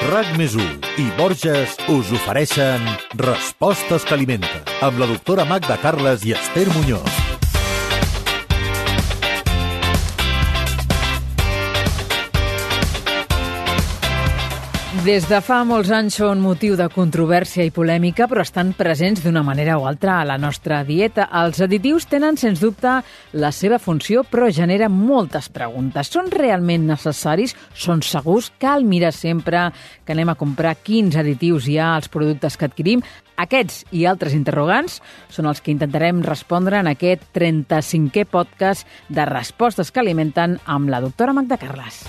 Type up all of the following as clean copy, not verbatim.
RAC+1 i Borges us ofereixen Respostes que alimenten, amb la doctora Magda Carles i Esther Muñoz. Des de fa molts anys són motiu de controvèrsia i polèmica, però estan presents d'una manera o altra a la nostra dieta. Els additius tenen, sens dubte, la seva funció, però generen moltes preguntes. Són realment necessaris? Són segurs? Cal mirar sempre que anem a comprar quins additius hi ha als productes que adquirim? Aquests i altres interrogants són els que intentarem respondre en aquest 35è podcast de Respostes que alimenten amb la doctora Magda Carles.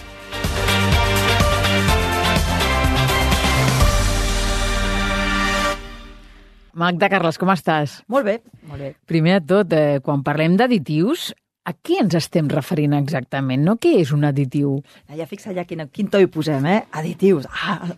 Magda Carles, com estàs? Molt bé, molt bé. Primer de tot, quan parlem d'additius, a què ens estem referint exactament? No? Què és un additiu? Ja fixa ja quin to hi posem, Additius.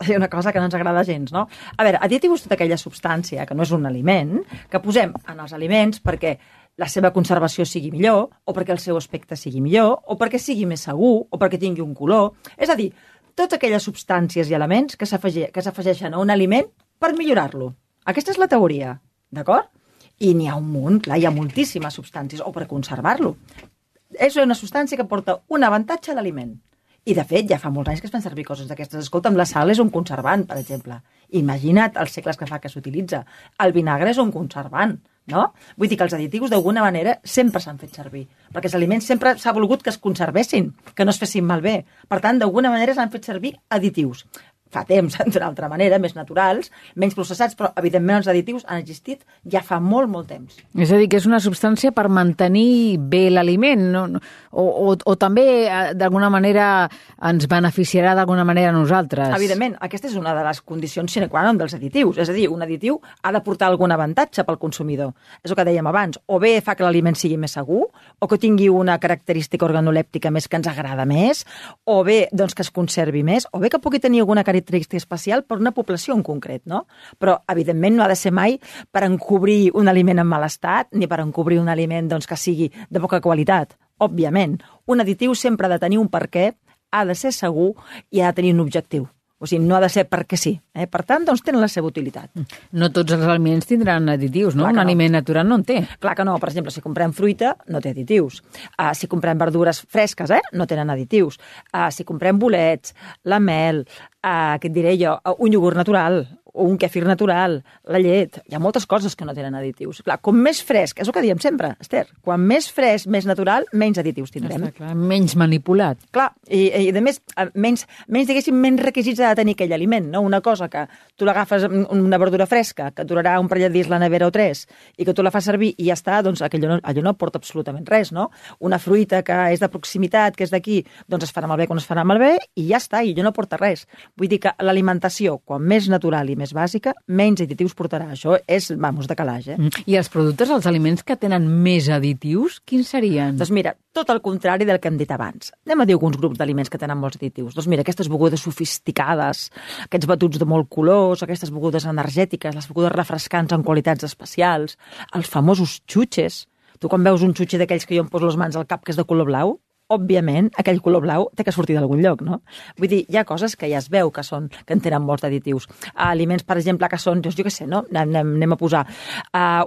És una cosa que no ens agrada gens, no? A veure, additiu és tota aquella substància que no és un aliment, que posem en els aliments perquè la seva conservació sigui millor, o perquè el seu aspecte sigui millor, o perquè sigui més segur, o perquè tingui un color. És a dir, totes aquelles substàncies i elements que s'afegeixen a un aliment per millorar-lo. Aquesta és la teoria, d'acord? I n'hi ha un munt, clar, hi ha moltíssimes substàncies, o per conservar-lo. És una substància que porta un avantatge a l'aliment. I, de fet, ja fa molts anys que es fan servir coses d'aquestes. Escolta'm, la sal és un conservant, per exemple. Imagina't els segles que fa que s'utilitza. El vinagre és un conservant, no? Vull dir que els additius, d'alguna manera, sempre s'han fet servir. Perquè els aliments sempre s'ha volgut que es conservessin, que no es fessin malbé. Per tant, d'alguna manera s'han fet servir additius. Fa temps, d'una altra manera, més naturals, menys processats, però, evidentment, els additius han existit ja fa molt, molt temps. És a dir, que és una substància per mantenir bé l'aliment, no? O també, d'alguna manera, ens beneficiarà d'alguna manera a nosaltres. Evidentment, aquesta és una de les condicions sine qua non dels additius. És a dir, un additiu ha de portar algun avantatge pel consumidor. És el que dèiem abans. O bé fa que l'aliment sigui més segur, o que tingui una característica organolèptica més que ens agrada més, o bé doncs, que es conservi més, o bé que pugui tenir alguna característica especial per una població en concret, no? Però, evidentment, no ha de ser mai per encobrir un aliment en mal estat, ni per encobrir un aliment doncs, que sigui de poca qualitat. Òbviament, un additiu sempre ha de tenir un perquè, ha de ser segur i ha de tenir un objectiu. O sigui, no ha de ser perquè sí. Per tant, doncs tenen la seva utilitat. No tots els aliments tindran additius, no? Un aliment natural no en té. Clar que no. Per exemple, si comprem fruita, no té additius. Si comprem verdures fresques, no tenen additius. Si comprem bolets, la mel, què et diré jo, un iogurt natural, o un kefir natural, la llet, hi ha moltes coses que no tenen additius. Clar, com més fresc, és el que diem sempre, Esther, quan més fresc, més natural, menys additius tindrem. Està clar, menys manipulat. Clar, i a més, diguéssim, menys requisits ha de tenir aquell aliment, no? Una cosa que tu l'agafes, una verdura fresca, que durarà un parell de dies la nevera o 3, i que tu la fas servir i ja està, doncs allò no porta absolutament res, no? Una fruita que és de proximitat, que és d'aquí, doncs es farà malbé quan es farà malbé, i ja està, i allò no porta res. Vull dir que l'alimentació, quan més natural i més bàsica, menys additius portarà. Això és, de calaix, I els productes, els aliments que tenen més additius, quins serien? Doncs mira, tot el contrari del que hem dit abans. Anem a dir alguns grups d'aliments que tenen molts additius. Doncs mira, aquestes begudes sofisticades, aquests batuts de molt colors, aquestes begudes energètiques, les begudes refrescants amb qualitats especials, els famosos xutxes. Tu quan veus un xutxe d'aquells que jo em poso les mans al cap que és de color blau, òbviament, aquell color blau té que sortir d'algun lloc, no? Vull dir, hi ha coses que ja es veu que en tenen molts additius. Aliments, per exemple, que són, jo què sé, no? Anem a posar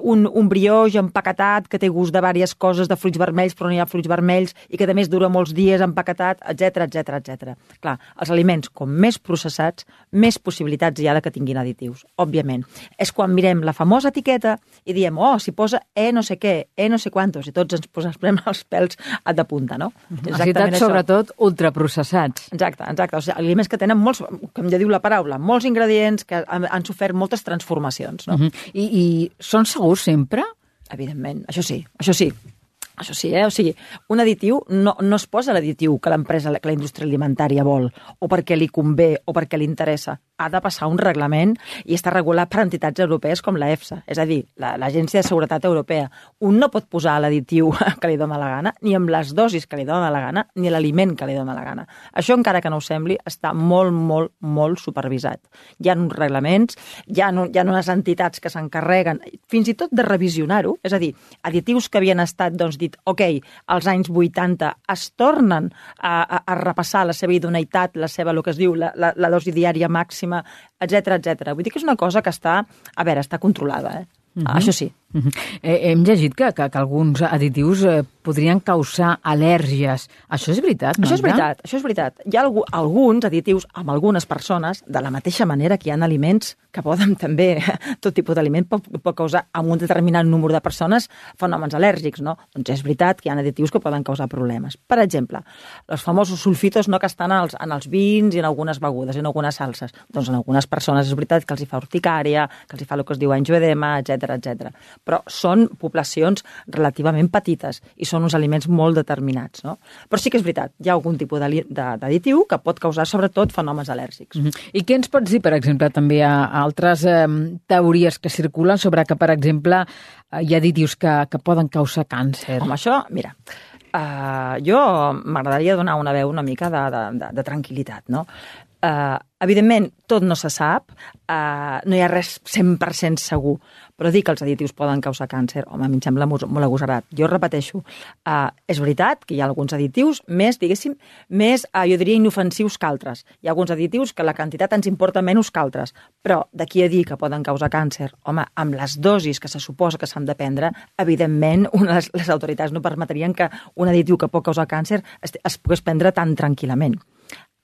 un brioix empaquetat que té gust de diverses coses, de fruits vermells, però no hi ha fruits vermells, i que a més dura molts dies empaquetat, etc. Clar, els aliments, com més processats, més possibilitats hi ha de que tinguin additius, òbviament. És quan mirem la famosa etiqueta i diem, si posa no sé què, no sé quantos, i tots ens posem els pèls de punta, no? Necessitats, sobretot, ultraprocessats. Exacte. O sigui, aliments que tenen molts, com ja diu la paraula, molts ingredients que han sofert moltes transformacions, no? I són segurs sempre? Evidentment, això sí. O sigui, un additiu no es posa l'additiu que l'empresa, que la indústria alimentària vol, o perquè li convé, o perquè li interessa. ha de passar un reglament i està regulat per entitats europees com la EFSA, és a dir, l'Agència de Seguretat Europea. Un no pot posar l'additiu que li dóna la gana, ni amb les dosis que li dóna la gana, ni l'aliment que li dóna la gana. Això, encara que no ho sembli, està molt, molt, molt supervisat. Hi ha uns reglaments, hi ha unes entitats que s'encarreguen fins i tot de revisionar-ho, és a dir, additius que havien estat dit, ok, als anys 80 es tornen a repassar la seva idoneïtat, la seva, el que es diu, la dosi diària màxima, etc. Vull dir que és una cosa que està controlada, Això sí. Hem llegit que alguns additius podrien causar al·lèrgies. Això és veritat, no? Això és veritat. Hi ha alguns additius amb algunes persones, de la mateixa manera que hi ha aliments que poden també, tot tipus d'aliment pot causar amb un determinat número de persones fenòmens al·lèrgics, no? Doncs és veritat que hi ha additius que poden causar problemes. Per exemple, els famosos sulfitos que estan en els vins i en algunes begudes, en algunes salses. Doncs en algunes persones és veritat que els hi fa urticària, que els hi fa el que es diu angioedema, etc. Però són poblacions relativament petites i són uns aliments molt determinats, no? Però sí que és veritat, hi ha algun tipus d'additiu que pot causar sobretot fenòmens al·lèrgics. I què ens pots dir, per exemple, també a altres teories que circulen sobre que, per exemple, hi ha additius que poden causar càncer? Amb això, mira, jo m'agradaria donar una veu una mica de tranquil·litat, no? Evidentment, tot no se sap, no hi ha res 100% segur, però dir que els additius poden causar càncer, home, a mi em sembla molt agosarat. Jo repeteixo, és veritat que hi ha alguns additius més, jo diria, inofensius que altres. Hi ha alguns additius que la quantitat ens importa menys que altres, però d'aquí a dir que poden causar càncer, home, amb les dosis que se suposa que s'han de prendre, evidentment, les autoritats no permetrien que un additiu que pot causar càncer es pogués prendre tan tranquil·lament.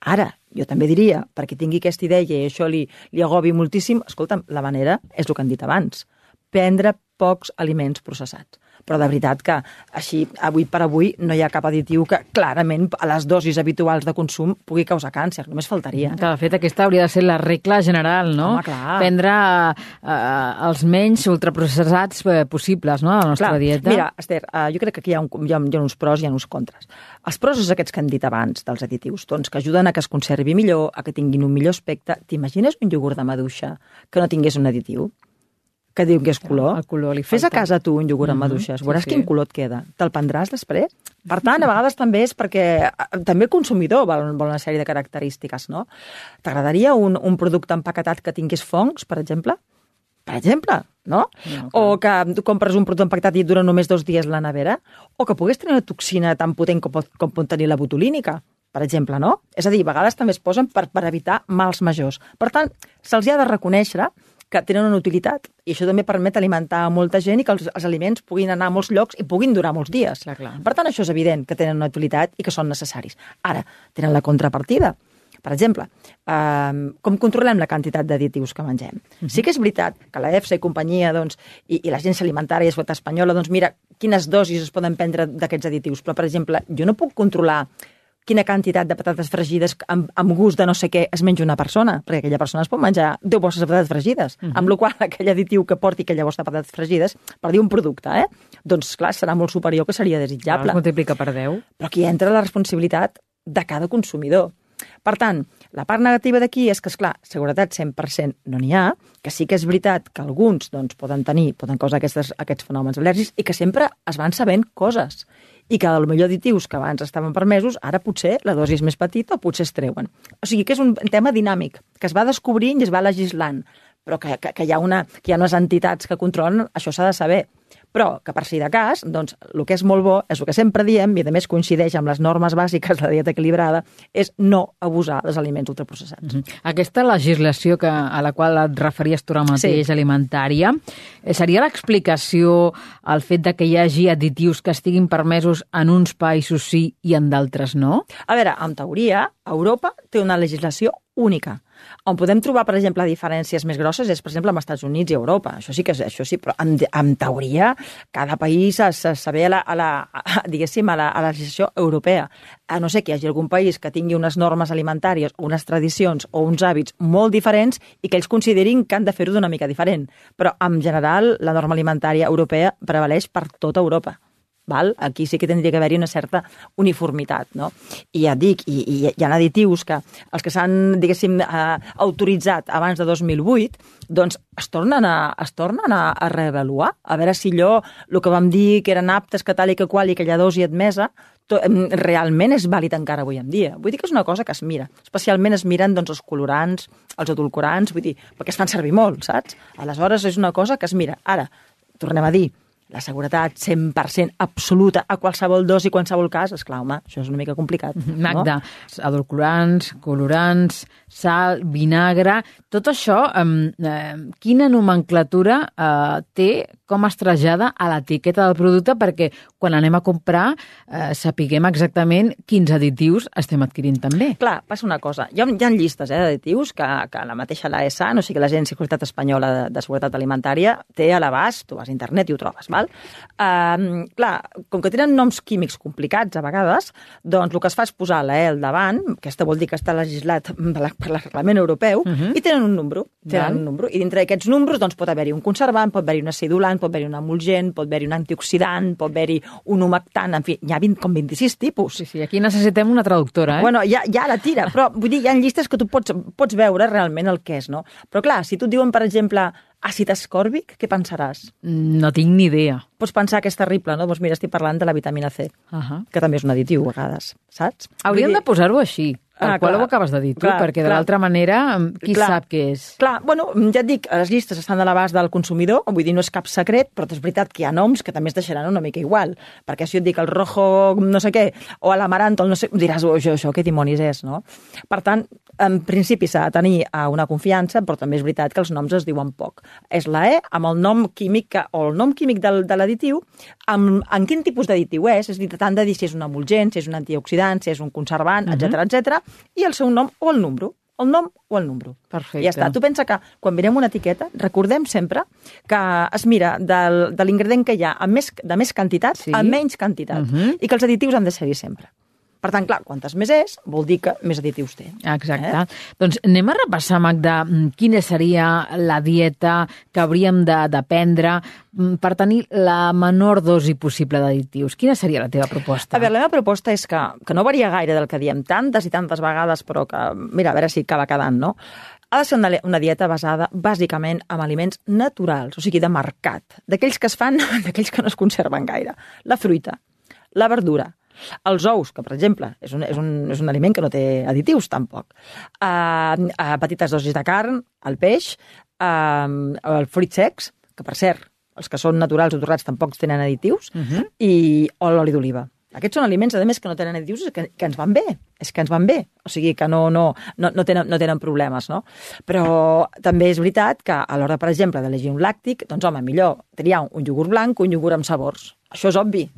Ara, jo també diria, perquè tingui aquesta idea i això li agobi moltíssim, escolta'm, la manera és el que han dit abans, prendre pocs aliments processats. Però de veritat que així, avui per avui, no hi ha cap additiu que clarament a les dosis habituals de consum pugui causar càncer, només faltaria. Que de fet aquesta hauria de ser la regla general, no? Home, clar. Prendre els menys ultraprocessats possibles, no?, a la nostra dieta. Mira, Esther, jo crec que aquí hi ha uns pros i hi ha uns contres. Els pros és aquests que hem dit abans dels additius, doncs que ajuden a que es conservi millor, a que tinguin un millor aspecte. T'imagines un iogurt de maduixa que no tingués un additiu? Que diu que és color. El color li falta. Fes a casa tu un iogurt amb maduixes, veuràs quin color et queda. Te'l prendràs després? Per tant, a vegades també és perquè també el consumidor vol una sèrie de característiques, no? T'agradaria un producte empaquetat que tingués fongs, per exemple? Per exemple, no? O que tu compres un producte empaquetat i et dura només 2 dies a la nevera? O que pogués tenir una toxina tan potent com pot tenir la botulínica, per exemple, no? És a dir, a vegades també es posen per evitar mals majors. Per tant, se'ls ha de reconèixer que tenen una utilitat, i això també permet alimentar molta gent i que els aliments puguin anar a molts llocs i puguin durar molts dies. Clar. Per tant, això és evident que tenen una utilitat i que són necessaris. Ara, tenen la contrapartida. Per exemple, com controlem la quantitat d'additius que mengem? Sí que és veritat que la EFSA i companyia, i l'Agència Alimentària i Seguretat Espanyola, mira quines dosis es poden prendre d'aquests additius, però, per exemple, jo no puc controlar quina quantitat de patates fregides amb gust de no sé què es menja una persona, perquè aquella persona es pot menjar 10 bosses de patates fregides, amb la qual aquell additiu que porti aquella bossa de patates fregides, per dir un producte, doncs clar, serà molt superior, que seria desitjable. Es multiplica per 10. Però aquí entra la responsabilitat de cada consumidor. Per tant, la part negativa d'aquí és que, esclar, seguretat 100% no n'hi ha, que sí que és veritat que alguns poden causar aquests fenòmens al·lèrgics i que sempre es van sabent coses. I que potser additius que abans estaven permesos, ara potser la dosi és més petita o potser es treuen. O sigui que és un tema dinàmic, que es va descobrint i es va legislant, però que hi ha unes entitats que controlen, això s'ha de saber. Però que per si de cas, doncs, el que és molt bo, és el que sempre diem, i a més coincideix amb les normes bàsiques de la dieta equilibrada, és no abusar dels aliments ultraprocessats. Aquesta legislació a la qual et referies tu ara mateix, alimentària, seria l'explicació al fet de que hi hagi additius que estiguin permesos en uns països sí i en d'altres no? A veure, en teoria, Europa té una legislació única. On podem trobar, per exemple, diferències més grosses és, per exemple, amb els Estats Units i Europa. Això sí, però en teoria cada país s'avé a la legislació europea. A no ser que hi hagi algun país que tingui unes normes alimentàries, unes tradicions o uns hàbits molt diferents i que ells considerin que han de fer-ho d'una mica diferent. Però, en general, la norma alimentària europea prevaleix per tota Europa. Val? Aquí sí que tindria que haver-hi una certa uniformitat, no? I ja et dic, hi ha additius que els que s'han, diguéssim, autoritzat abans de 2008, doncs es tornen a reavaluar, a veure si allò, el que vam dir que eren aptes, que tal i que qual, i que aquella dosi admesa, realment és vàlid encara avui en dia. Vull dir que és una cosa que es mira. Especialment es miren doncs, els colorants, els edulcorants, vull dir, perquè es fan servir molt, saps? Aleshores és una cosa que es mira. Ara, tornem a dir, la seguretat 100% absoluta a qualsevol dosi, qualsevol cas, esclar, home, això és una mica complicat. Magda, edulcorants, colorants, sal, vinagre, tot això, quina nomenclatura té, com es trasllada a l'etiqueta del producte perquè quan anem a comprar sapiguem exactament quins additius estem adquirint també. Clar, passa una cosa. Hi ha llistes d'additius que la mateixa l'AESA, o sigui, l'Agència de Seguretat Espanyola de Seguretat Alimentària, té a l'abast, tu vas a internet i ho trobes, val? Clar, com que tenen noms químics complicats a vegades, doncs el que es fa és posar la E al davant, aquesta vol dir que està legislat per el reglament europeu, i tenen un número. I dintre d'aquests números doncs, pot haver-hi un conservant, pot haver-hi un acidulant, pot haver-hi un emulgent, pot haver-hi un antioxidant, pot haver-hi un humectant, en fi, hi ha 26 tipus. Sí, aquí necessitem una traductora, Bueno, ja la tira, però vull dir, hi ha llistes que tu pots veure realment el que és, no? Però clar, si tu et diuen, per exemple, àcid ascòrbic, què pensaràs? No tinc ni idea. Pots pensar que és terrible, no? Doncs mira, estic parlant de la vitamina C, que també és un additiu a vegades, saps? Hauríem de posar-ho així, tal qual ho acabes de dir tu, perquè de l'altra manera, qui sap què és? Clar, bueno, ja et dic, les llistes estan a l'abast del consumidor, vull dir, no és cap secret, però és veritat que hi ha noms que també es deixaran una mica igual, perquè si jo et dic el rojo no sé què, o l'amaranto, no sé, diràs, això què dimonis és, no? Per tant, en principi s'ha de tenir una confiança, però també és veritat que els noms es diuen poc. És la E amb el nom químic o el nom químic de l'additiu, en quin tipus d'additiu és a dir, tant de dir si és un emulgent, si és un antioxidant, si és un conservant, etc, i el seu nom o el número. El nom o el número. Perfecte. Ja està. Tu pensa que quan mirem una etiqueta, recordem sempre que es mira de l'ingredient que hi ha de més quantitat a menys quantitat i que els additius han de ser-hi sempre. Per tant, clar, quantes més és, vol dir que més additius té. Exacte. Doncs anem a repassar, Magda, quina seria la dieta que hauríem de prendre per tenir la menor dosi possible d'additius. Quina seria la teva proposta? A veure, la meva proposta és que no varia gaire del que diem tantes i tantes vegades, però que, mira, a veure si acaba quedant, no? Ha de ser una dieta basada bàsicament en aliments naturals, o sigui, de mercat, d'aquells que es fan, d'aquells que no es conserven gaire. La fruita, la verdura, els ous, que per exemple és un aliment que no té additius tampoc, petites dosis de carn, el peix, els fruits secs, que per cert, els que són naturals o torrats tampoc tenen additius, o l'oli d'oliva. Aquests són aliments, a més, que no tenen additius, que ens van bé, és que ens van bé, o sigui que no tenen problemes, no? Però també és veritat que a l'hora, per exemple, d'elegir un làctic, doncs home, millor triar un iogurt blanc que un iogurt amb sabors. Això és obvi,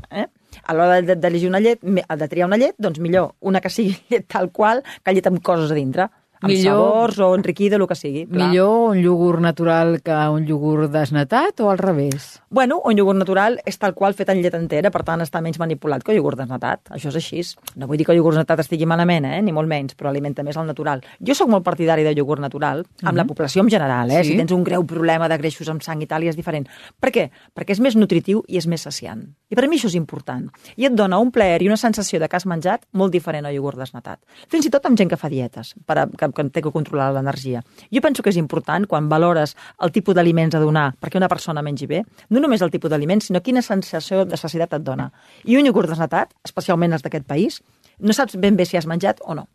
A l'hora d'elegir una llet, de triar una llet, doncs millor una que sigui llet tal qual que llet amb coses a dintre. Amb sabors o enriquida, el que sigui. Clar. Millor un iogurt natural que un iogurt desnatat o al revés? Bueno, un iogurt natural és tal qual fet en llet entera, per tant està menys manipulat que el iogurt desnatat. Això és així. No vull dir que el iogurt desnatat estigui malament, ni molt menys, però alimenta més el natural. Jo sóc molt partidari del iogurt natural, amb la població en general, Sí. Si tens un greu problema de greixos amb sang i tal, és diferent. Per què? Perquè és més nutritiu i és més saciant. I per mi això és important. I et dona un plaer i una sensació de que has menjat molt diferent al iogurt desnatat. Fins i tot amb gent que fa dietes, que té que controlar l'energia. Jo penso que és important, quan valores el tipus d'aliments a donar perquè una persona mengi bé, no només el tipus d'aliments, sinó quina sensació de sacietat et dona. I un iogurt desnatat, especialment els d'aquest país, no saps ben bé si has menjat o no.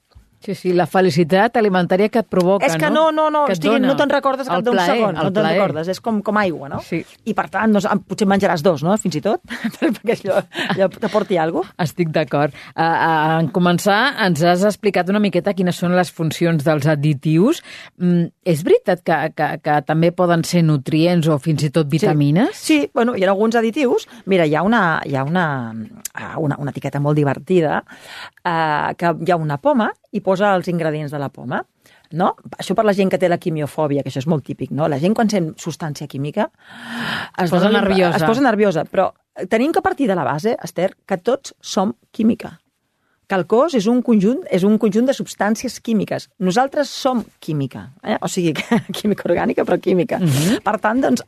Sí, la felicitat alimentària que et provoca, és que no te'n recordes cap d'un segon, no te'n recordes, és com aigua, no? Sí. I per tant, potser menjaràs dos, no?, fins i tot, perquè allò t'aporti alguna cosa. Estic d'acord. En començar, ens has explicat una miqueta quines són les funcions dels additius. És veritat que també poden ser nutrients o fins i tot vitamines? Sí, bueno, hi ha alguns additius. Mira, hi ha una etiqueta molt divertida, que hi ha una poma i posa els ingredients de la poma, no? Això per la gent que té la quimiofòbia, que això és molt típic, no? La gent quan sent substància química es posa nerviosa, però tenim que partir de la base, Esther, que tots som química. que el cos és un conjunt de substàncies químiques. Nosaltres som química, o sigui, química orgànica, però química. Per tant, doncs,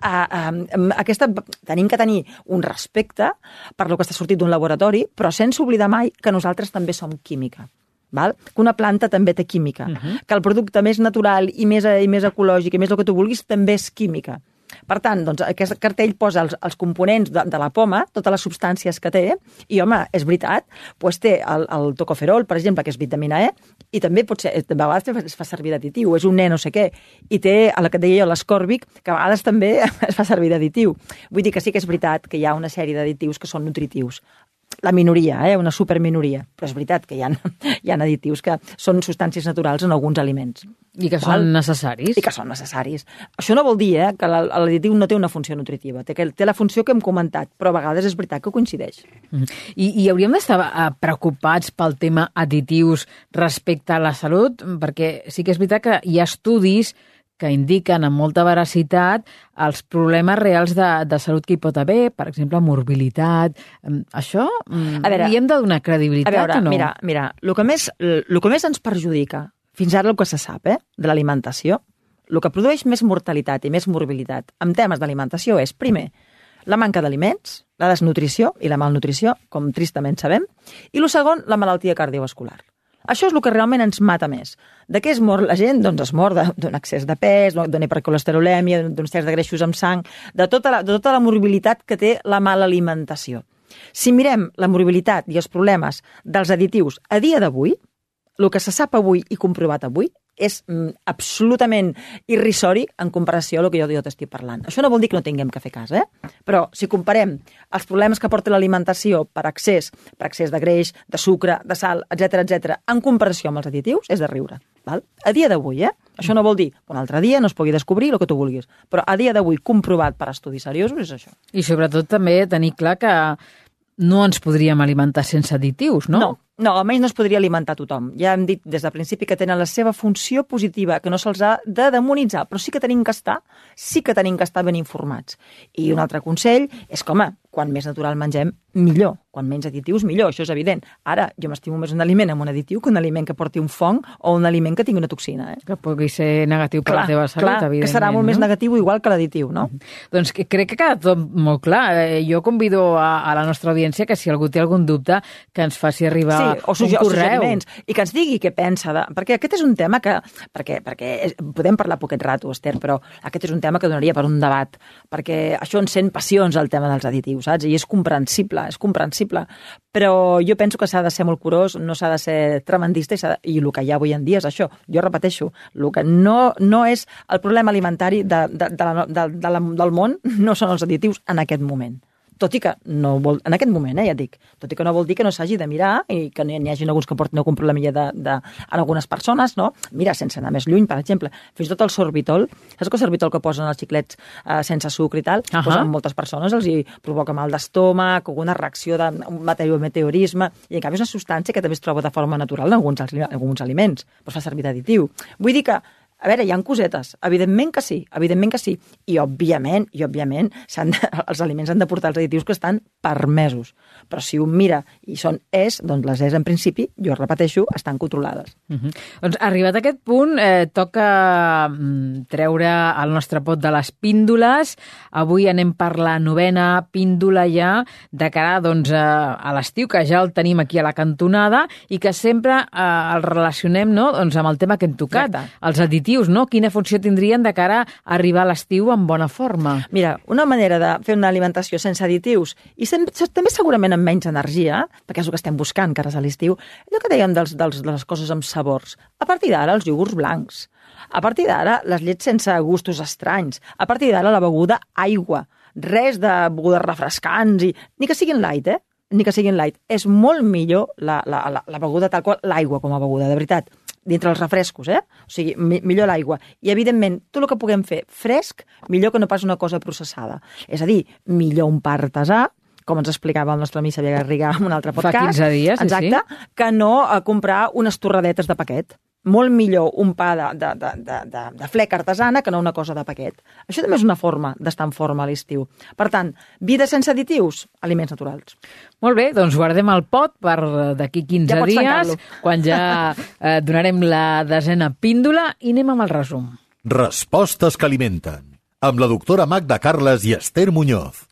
tenim que tenir un respecte per lo que està sortit d'un laboratori, però sense oblidar mai que nosaltres també som química. Val? Que una planta també té química, que el producte més natural i més ecològic i més el que tu vulguis també és química. Per tant, doncs, aquest cartell posa els components de la poma, totes les substàncies que té, i, home, és veritat, doncs té el tocoferol, per exemple, que és vitamina E, i també pot ser, de vegades es fa servir d'additiu, és un no sé què, i té, el que deia jo, l'ascòrbic, que a vegades també es fa servir d'additiu. Vull dir que sí que és veritat que hi ha una sèrie d'additius que són nutritius. La minoria, una superminoria, però és veritat que hi ha additius que són substàncies naturals en alguns aliments. I que són necessaris. I que són necessaris. Això no vol dir que l'additiu no té una funció nutritiva, té la funció que hem comentat, però a vegades és veritat que coincideix. I hauríem d'estar preocupats pel tema additius respecte a la salut, perquè sí que és veritat que hi ha estudis que indiquen amb molta veracitat els problemes reals de salut que hi pot haver, per exemple, morbilitat. Això hi hem de donar credibilitat o no? Mira, el que més ens perjudica, fins ara el que se sap, de l'alimentació, el que produeix més mortalitat i més morbilitat en temes d'alimentació és, primer, la manca d'aliments, la desnutrició i la malnutrició, com tristament sabem, i el segon, la malaltia cardiovascular. Això és el que realment ens mata més. De què es mor la gent? Doncs es mor d'un excés de pes, d'una hipercolesterolèmia, d'un excés de greixos amb sang, de tota la morbilitat que té la mala alimentació. Si mirem la morbilitat i els problemes dels additius a dia d'avui, el que se sap avui i comprovat avui és absolutament irrisori en comparació a el que jo t'estic parlant. Això no vol dir que no tinguem que fer cas, però si comparem els problemes que porta l'alimentació per excés de greix, de sucre, de sal, etc, en comparació amb els additius, és de riure. Val? A dia d'avui, això no vol dir que un altre dia no es pugui descobrir el que tu vulguis, però a dia d'avui comprovat per estudis seriosos és això. I sobretot també tenir clar que no ens podríem alimentar sense additius, no? No, almenys no es podria alimentar tothom. Ja hem dit des del principi que tenen la seva funció positiva, que no se'ls ha de demonitzar, però sí que tenim que estar ben informats. I un altre consell és que, home, quan més natural mengem, millor. Quan menys additius, millor, això és evident. Ara, jo m'estimo més un aliment amb un additiu que un aliment que porti un fong o un aliment que tingui una toxina. Que pugui ser negatiu per la teva salut, evidentment. Que serà molt més negatiu igual que l'additiu, no? Doncs crec que ha quedat tot molt clar. Jo convido a la nostra audiència que si algú té algun dubte, que ens faci arribar o suggeriments, i que ens digui què pensa. Perquè aquest és un tema que... Perquè podem parlar poquet rato, Esther, però aquest és un tema que donaria per un debat, perquè això encén passions, el tema dels additius, saps? I és comprensible. Però jo penso que s'ha de ser molt curós, no s'ha de ser tremendista, i el que hi ha avui en dia és això. Jo repeteixo, el que no és el problema alimentari del món, no són els additius en aquest moment. Tot i que no vol, en aquest moment, ja et dic, tot i que no vol dir que no s'hagi de mirar i que n'hi hagi alguns que portin algun problemilla en algunes persones, no? Mira, sense anar més lluny, per exemple, fins i tot el sorbitol, saps que el sorbitol que posen els xiclets sense sucre i tal, doncs a moltes persones els hi provoca mal d'estómac, alguna reacció de meteorisme, i en canvi és una substància que també es troba de forma natural en alguns aliments, però es fa servir d'additiu. Vull dir que a veure, hi ha cosetes, evidentment que sí, i òbviament, els aliments han de portar els additius que estan permesos, però si un mira i són doncs les en principi, jo repeteixo, estan controlades. Doncs arribat a aquest punt, toca treure el nostre pot de les píndoles. Avui anem per la 9ª píndola ja, de cara a l'estiu, que ja el tenim aquí a la cantonada, i que sempre el relacionem amb el tema que hem tocat, els additius, no? Quina funció tindrien de cara a arribar a l'estiu en bona forma? Mira, una manera de fer una alimentació sense additius i també segurament amb menys energia, perquè és el que estem buscant cares a l'estiu, allò que dèiem de les coses amb sabors. A partir d'ara, els iogurts blancs. A partir d'ara, les llets sense gustos estranys. A partir d'ara, la beguda aigua. Res de begudes refrescants ni que siguin light, Ni que siguin light. És molt millor la beguda tal qual, l'aigua com a beguda, de veritat. Dintre els refrescos, O sigui, millor l'aigua. I, evidentment, tot el que puguem fer fresc, millor que no pas una cosa processada. És a dir, millor un pa artesà, com ens explicava el nostre amic Xavier Garriga en un altre podcast. Fa 15 dies, exacte, que no comprar unes torradetes de paquet. molt millor un pa de fleca artesana que no una cosa de paquet. Això també és una forma d'estar en forma a l'estiu. Per tant, vida sense additius, aliments naturals. Molt bé, doncs guardem el pot per d'aquí 15 Ja pots dies, tancar-lo. quan ja donarem la 10a píndola i anem amb el resum. Respostes que alimenten. Amb la doctora Magda Carles i Esther Muñoz.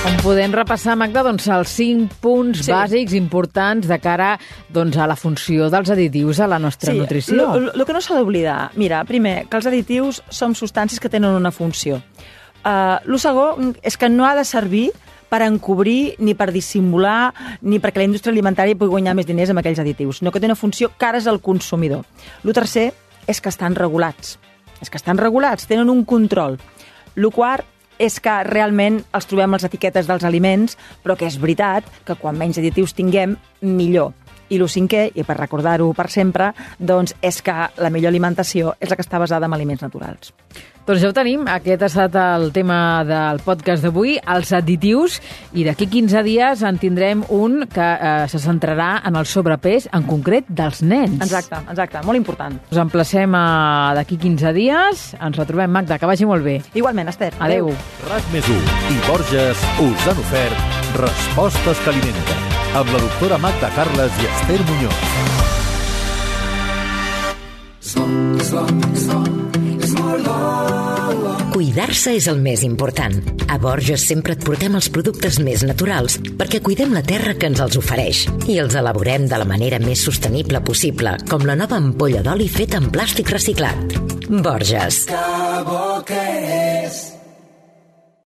On podem repassar, Magda, doncs, els 5 punts bàsics importants de cara doncs, a la funció dels additius a la nostra nutrició. El que no s'ha d'oblidar, mira, primer, que els additius són substàncies que tenen una funció. El segon és que no ha de servir per encobrir, ni per dissimular, ni perquè la indústria alimentària pugui guanyar més diners amb aquells additius, sinó que té una funció cara al consumidor. El tercer és que estan regulats. Tenen un control. El quart és que realment els trobem a les etiquetes dels aliments, però que és veritat que quan menys additius tinguem, millor. I el cinquè, i per recordar-ho per sempre, doncs és que la millor alimentació és la que està basada en aliments naturals. Doncs ja ho tenim, aquest ha estat el tema del podcast d'avui, els additius, i d'aquí 15 dies en tindrem un que se centrarà en el sobrepès, en concret dels nens. Exacte, molt important. Us emplacem d'aquí 15 dies, ens retrobem, Magda, que vagi molt bé. Igualment, Esther. Adéu. RAC+1 i Borges us han ofert Respostes que alimenten, amb la doctora Magda Carles i Esther Muñoz. Cuidar-se és el més important. A Borges sempre et portem els productes més naturals perquè cuidem la terra que ens els ofereix i els elaborem de la manera més sostenible possible, com la nova ampolla d'oli feta en plàstic reciclat. Borges. Que bo que és